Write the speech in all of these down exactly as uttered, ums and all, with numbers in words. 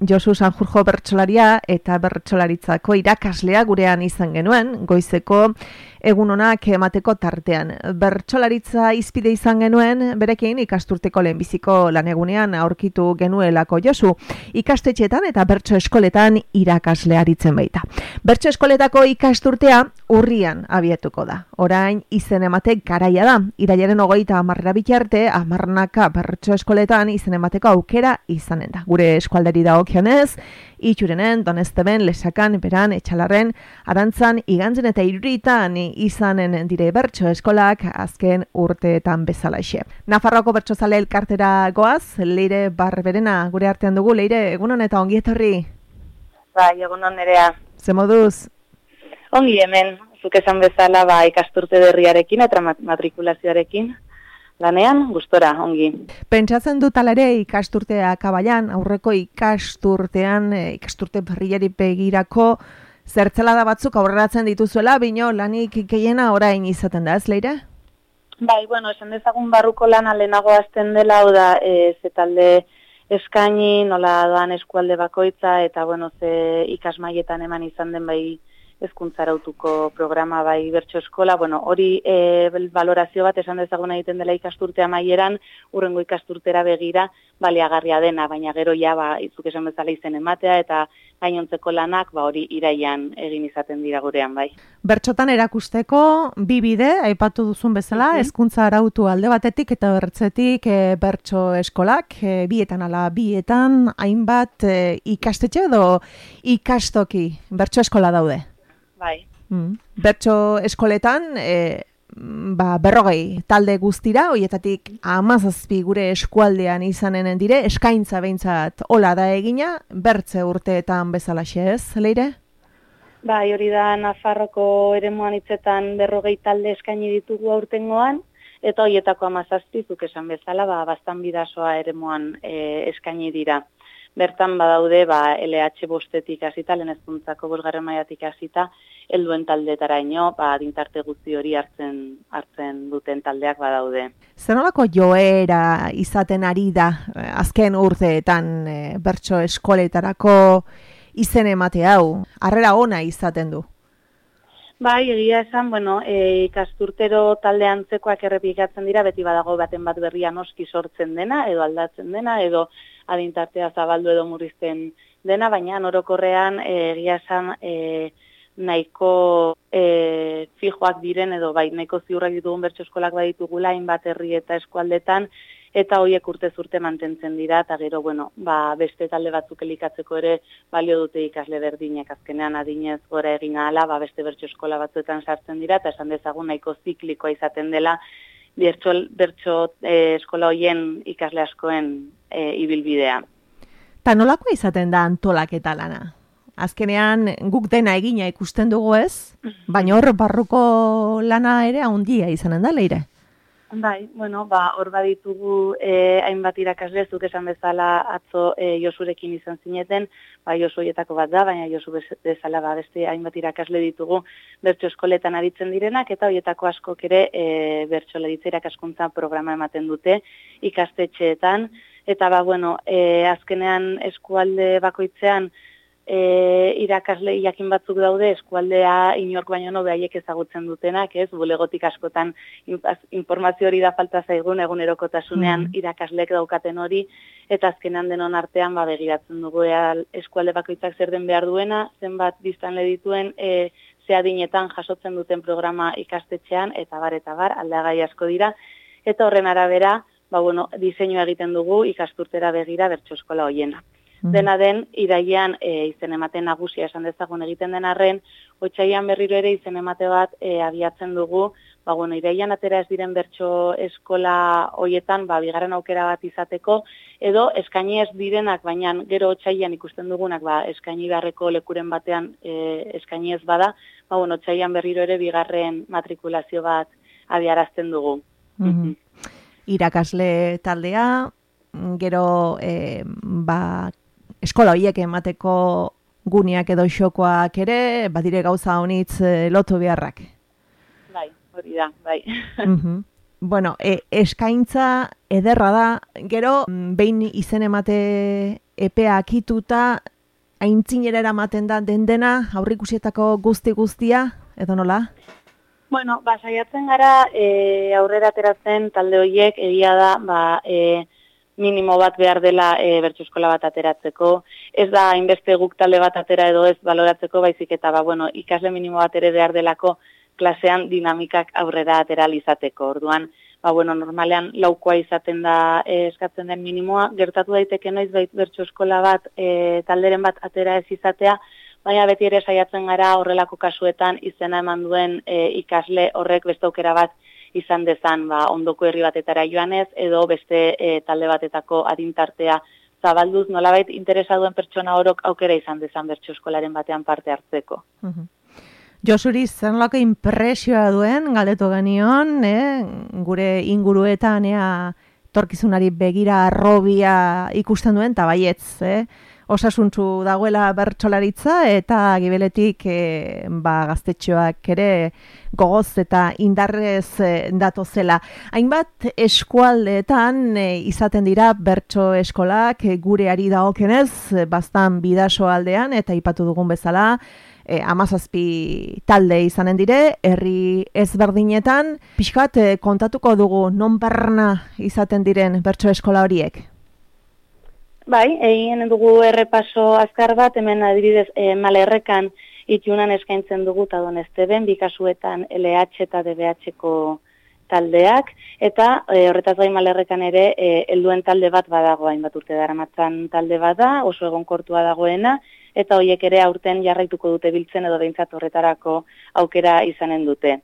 Josu Sanjurjo bertsolaria eta bertsolaritzako irakaslea gurean izan genuen, goizeko egun onak emateko tartean. Bertsolaritza izpide izan genuen, berekin ikasturteko lehenbiziko lanegunean aurkitu genuelako Josu. Ikastetxetan eta bertso eskoletan irakasle aritzen baita. Bertso eskoletako ikasturtea urrian abiatuko da. Orain izen emate garaia da. Irailaren hogeita hamarrera bitarte, hamarnaka bertso eskoletan izen emateko aukera izanen da. Gure eskualderi dagokionez, Itxurenen, Donezteben, Lesakan, Beran, Etxalarren, Arantzan, Igantzen eta Iruritan izanen dire bertso eskolak azken urteetan bezalaxe. Nafarroako bertsozale elkartera goaz, Leire Barberena gure artean dugu. Leire, egunon eta ongi etorri? Bai, egunon nerea. Ze moduz? Ongi hemen, zuk esan bezala ba, ikasturte berriarekin eta matrikulazioarekin. Lanean, gustora, ongi. Pentsatzen dut alare ikasturtea kabailan, aurreko ikasturtean, ikasturte berriari begirako zertzelada batzuk aurreratzen dituzuela, bino lanik gehiena orain izaten da, ez Leire? Bai, bueno, esan dezagun barruko lana lehenago azten dela, hau da, e, ze talde eskaini, nola doan eskualde bakoitza, eta bueno, ze ikasmaietan eman izan den bai hezkuntzarautuko programa bai bertso eskola, bueno, hori e, valorazio bat esan dezaguna egiten dela ikasturtea maieran, urrengo ikasturtera begira baliagarria dena, baina gero ja ba izuk esan bezala izen ematea eta gainontzeko lanak ba hori iraian egin izaten dira gurean bai. Bertsotan erakusteko bi bide aipatu duzun bezala, hezkuntza arautu alde batetik eta bertzetik e, bertso eskolak, e, bietan ala bietan hainbat e, ikastetxe edo ikastoki bertso eskola daude. Bai. Mm. Bertso eskoletan, e, ba, berrogei talde guztira, hoietatik hamazazpi gure eskualdean izanen dire, eskaintza behintzat hola da egina, bertze urteetan bezalaxe ez, Leire? Bai, hori da Nafarroko eremuan hitzetan berrogei talde eskaini ditugu aurtengoan, eta hoietako hamazazpi zuk esan bezala, ba, bastan bidasoa eremuan e, eskaini dira. Bertan badaude ba, L H bostetik hasita, lehen hezkuntzako bosgarren mailatik hasita, helduen taldetaraino, ba, adintarte guzti hori hartzen hartzen duten taldeak badaude. Zer nolako joera izaten ari da azken urteetan e, bertso eskoletarako izen emate hau? Harrera ona izaten du? Bai, egia esan, bueno, e, ikasturtero talde antzekoak errepikatzen dira, beti badago baten bat berria noski sortzen dena, edo aldatzen dena, edo adintartea zabaldu edo murrizten dena, baina orokorrean e, egia esan e, nahiko e, fijoak diren, edo bai, nahiko ziurrak ditugun bertso eskolak baditugula, hainbat herri eta eskualdetan, eta horiek urtez urte mantentzen dira, eta gero, bueno, ba, beste talde batzuk elikatzeko ere balio dute ikasle berdinek, azkenean adinez gora egin ahala, ba, beste bertso eskola batzuetan sartzen dira, eta esan dezagun nahiko ziklikoa izaten dela, bertso, bertso e, eskola hoien ikasle askoen e, ibilbidea. Ta nolako izaten da antolaketa lana? Azkenean guk dena egina ikusten dugu ez, baina hor barruko lana ere handia izanen da, Leire? Bai, bueno, ba, hor baditugu eh, hainbat irakasle, zuk esan bezala atzo eh, Josurekin izan zineten, ba, Josu horietako bat da, baina Josu bezala ba, beste hainbat irakasle ditugu bertso eskoletan aritzen direnak, eta horietako askok ere eh, bertsolaritza irakaskuntza programa ematen dute ikastetxeetan, eta ba, bueno, eh, azkenean eskualde bakoitzean E, irakasle jakin batzuk daude eskualdea inork baino no behaiek ezagutzen dutenak, ez? Bulegotik askotan informazio hori da falta zaigun egunerokotasunean mm. irakaslek daukaten hori, eta azkenean denon artean ba, begiratzen dugu ea, eskualde bakoitzak zer den behar duena, zenbat biztanle dituen, e, ze adinetan jasotzen duten programa ikastetxean, eta bar, eta bar, aldagai asko dira, eta horren arabera, ba, bueno, diseinua egiten dugu ikasturtera begira bertso eskola hoiena. Dena den, irailean e, izen emate nagusia esan dezagun egiten den arren, otsailean berriro ere izen emate bat e, abiatzen dugu, ba, bueno, irailean atera ez diren bertso eskola hoietan, ba, bigarren aukera bat izateko, edo eskaini ez direnak, baina gero otsailean ikusten dugunak, ba, eskaini beharreko lekuren batean e, eskaini ez bada, ba, bueno, otsailean berriro ere bigarren matrikulazio bat abiarazten dugu. Mm-hmm. Irakasle taldea, gero e, ba, eskola horiek emateko guneak edo xokoak ere, badire gauza honitz e, lotu beharrak. Bai, hori da, bai. Mm-hmm. Bueno, e, eskaintza ederra da, gero behin izen emate epea akituta, aintzinera eramaten da den dena, aurrikusietako guzti-guztia, edo nola? Bueno, ba, saiatzen gara e, aurrera ateratzen talde horiek egia da, ba, e, minimo bat behar dela e, bertso eskola bat ateratzeko. Ez da hainbeste guk talde bat atera edo ez baloratzeko, baizik eta ba, bueno, ikasle minimo bat ere behar delako klasean dinamikak aurrera atera izateko. Orduan, ba, bueno, normalean laukoa izaten da e, eskatzen den minimoa, gertatu daiteke noiz bait bertso eskola bat e, talderen bat atera ez izatea, baina beti ere saiatzen gara horrelako kasuetan izena eman duen e, ikasle horrek beste aukera bat izan dezan, ba, ondoko herri batetara joanez, edo beste e, talde batetako adintartea zabalduz, nolabait interesa duen pertsona orok aukera izan dezan bertso eskolaren batean parte hartzeko. Uh-huh. Josuri, zer nolako impresioa duen, galdetu genion, eh? Gure inguruetan, ea, torkizunari begira arrobia ikusten duen, eta baietz, eh? Osasuntzu dagoela bertsolaritza eta gibeletik e, ba, gaztetxoak ere gogoz eta indarrez e, datozela. Hainbat eskualdeetan e, izaten dira bertso eskolak e, gureari dagokenez, e, bastan bidaso aldean eta aipatu dugun bezala, e, amazazpi talde izanen dire, herri ezberdinetan, pixkat e, kontatuko dugu non barna izaten diren bertso eskola horiek. Bai, egin dugu errepaso azkar bat, hemen adibidez e, Malerrekan itunan eskaintzen dugu eta Donesteben, bi kasuetan L H eta D B H-ko taldeak, eta e, horretaz gain Malerrekan ere e, helduen talde bat badago, hainbat urte daramatzan talde bat da, oso egonkortua dagoena, eta horiek ere aurten jarraituko dute biltzen edo behintzat horretarako aukera izanen dute.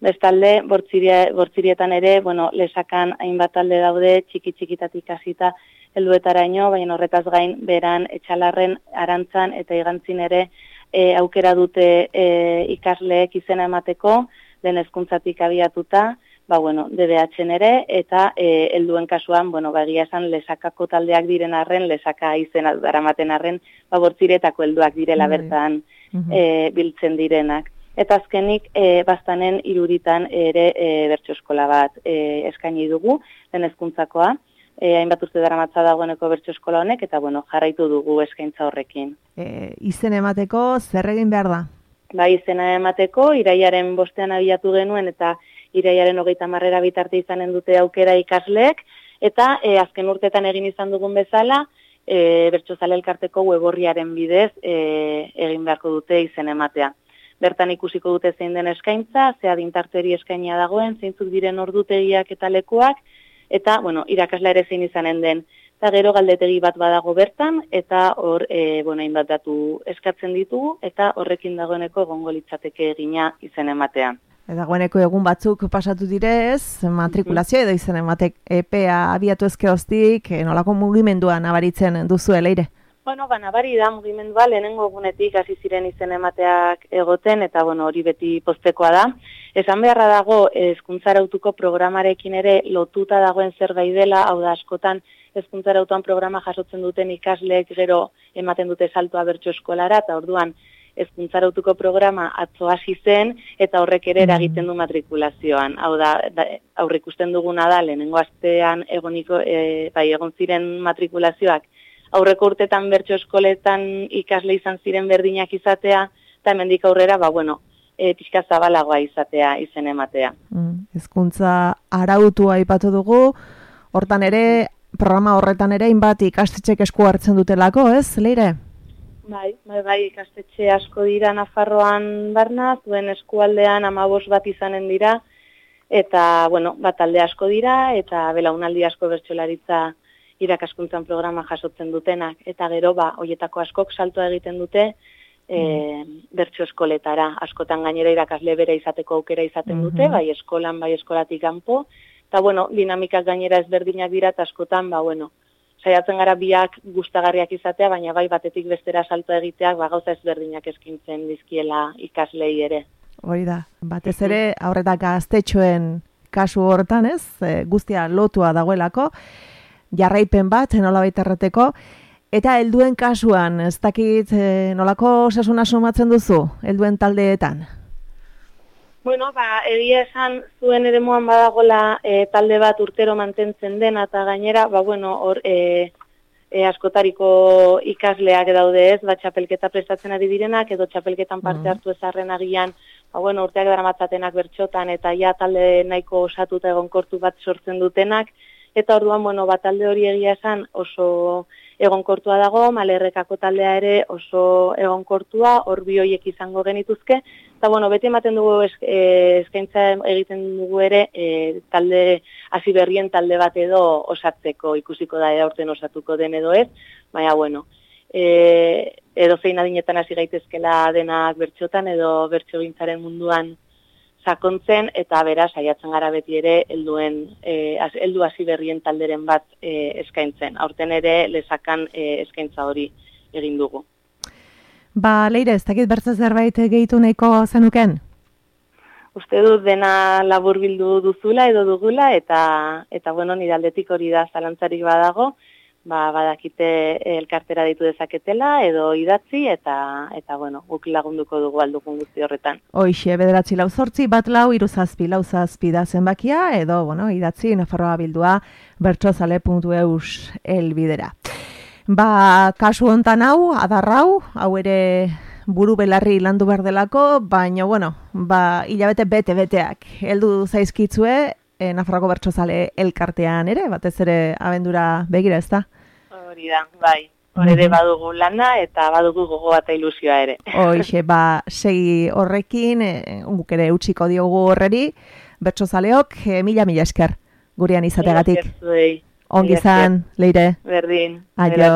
Bestalde, bortzirie, bortzirietan ere, bueno, lesakan hainbat talde daude, txiki-txikitatik hasita helduetaraino, baina horretaz gain beran etxalarren arantzan eta igantzin ere e, aukera dute e, ikasleek izena emateko, den hezkuntzatik abiatuta, ba bueno, D B H-en ere, eta e, helduen kasuan, bueno, ba egia esan lesakako taldeak diren arren, lesaka izena daramaten arren, ba bortziretako helduak direla bertan e, biltzen direnak. Eta azkenik, e, bastanen iruritan ere e, bertso eskola bat e, eskaini dugu, den hezkuntzakoa, e, hainbat urte daramatza dagoeneko bertso eskola honek, eta bueno, jarraitu dugu eskaintza horrekin. E, izen emateko zer egin behar da? Ba, izena emateko, iraiaren bostean abiatu genuen, eta iraiaren hogeita marrera bitarte izanen dute aukera ikasleek, eta e, azken urtetan egin izan dugun bezala, e, bertsozale elkarteko weborriaren bidez e, egin beharko dute izen ematea. Bertan ikusiko dute zein den eskaintza, ze adintarteri eskainia dagoen, zeintzuk diren ordutegiak eta lekuak, eta, bueno, irakasla ere zein izanen den. Eta gero galdetegi bat badago bertan, eta hor, e, bueno, hainbat datu eskatzen ditugu, eta horrekin dagoeneko egongo litzateke egina izen ematean. Dagoeneko egun batzuk pasatu direz, matrikulazioa edo izen ematek epea abiatu ezkeroztik, nolako mugimendua nabaritzen duzu eleire? Bueno, ba, nabari da mugimendua lehenengo egunetik hasi ziren izen emateak egoten, eta bueno, hori beti poztekoa da. Esan beharra dago, hezkuntzarautuko programarekin ere lotuta dagoen zerbait dela, hau da askotan hezkuntzarautuan programa jasotzen duten ikasleek gero ematen dute saltoa bertso eskolara, eta orduan hezkuntzarautuko programa atzo hasi zen, eta horrek ere eragiten du matrikulazioan. Hau da, da aurreikusten duguna da, lehenengo astean egoniko, e, bai, egon ziren matrikulazioak, aurreko urtetan bertso eskoletan ikasle izan ziren berdinak izatea, eta hemendik aurrera, ba, bueno, e, pixka zabalagoa izatea, izen ematea. Mm, hezkuntza arautua aipatu dugu, hortan ere, programa horretan ere, hainbat ikastetxek esku hartzen dutelako, ez, Leire? Bai, bai, bai, ikastetxe asko dira Nafarroan barna, zuen eskualdean amabos bat izanen dira, eta, bueno, bat talde asko dira, eta belaunaldi asko bertsolaritza irakaskuntzan programa jasotzen dutenak, eta gero, ba, hoietako askok saltoa egiten dute e, bertso eskoletara. Askotan gainera irakasle bere izateko aukera izaten dute, bai eskolan, bai eskolatik kanpo, eta, bueno, dinamikak gainera ezberdinak dira, eta askotan, ba, bueno, saiatzen gara biak gustagarriak izatea, baina bai batetik bestera saltoa egiteak, ba, gauza ezberdinak eskintzen dizkiela ikaslei ere. Hori da, batez ere, aurretak gaztetxoen kasu hortan, ez, e, guztia lotua dagoelako, jarraipen bat, nolabait errateko, eta helduen kasuan, ez dakit nolako osasuna sumatzen duzu, helduen taldeetan? Bueno, ba, egia esan zuen eremuan badagola e, talde bat urtero mantentzen dena, eta gainera, ba, bueno, hor, e, e, askotariko ikasleak daude ez, bat txapelketa prestatzen ari direnak, edo txapelketan parte hartu ezarren agian, ba, bueno, urteak daramatzatenak bertxotan, eta ja talde nahiko osatuta egonkortu bat sortzen dutenak, eta orduan, bueno, bat talde hori egia esan oso egonkortua dago, Malerrekako taldea ere oso egonkortua, hor bi horiek izango genituzke, eta bueno, beti ematen dugu eskaintza egiten dugu ere e, talde hasi berrien talde bat edo osatzeko, ikusiko da aurten osatuko den edo ez, baina bueno, e, edo zein adinetan hasi gaitezkela denak bertxotan edo bertxogintzaren munduan sakontzen, eta bera saiatzen gara beti ere helduen eh heldu hasi berrien talderen bat e, eskaintzen. Aurten ere lesakan e, eskaintza hori egin dugu. Ba, Leire, ez dakit bertza zerbait gehitu nahiko zenuken? Uste dut dena laburbildu duzula edo dugula, eta eta bueno, nire aldetik hori da, zalantzarik badago, ba, badakite elkartera ditu dezaketela edo idatzi, eta eta bueno, guk lagunduko dugu aldugun guzti horretan. Hoixe, bederatzi lau zortzi, bat lau, hiru zazpi, lau zazpi da zenbakia, edo, bueno, idatzi Nafarroa bildua bertsozale puntu eus elbidera. Ba, kasu hontan hau, adarrau, hau ere buru belarri landu behar delako, baina, bueno, ba, hilabete bete-beteak heldu zaizkitzue, E, Nafarroko bertsozale elkartean ere, batez ere abendura begira, ez da? Hori da, bai. Hor ere badugu lana eta badugu gogo eta ilusioa ere. Hoixe, ba, segi horrekin, e, guk ere utziko diogu horreri, bertsozaleok, e, mila mila esker gurean izategatik. Mila esker zuei. Ongi izan, Leire. Berdin. Aio.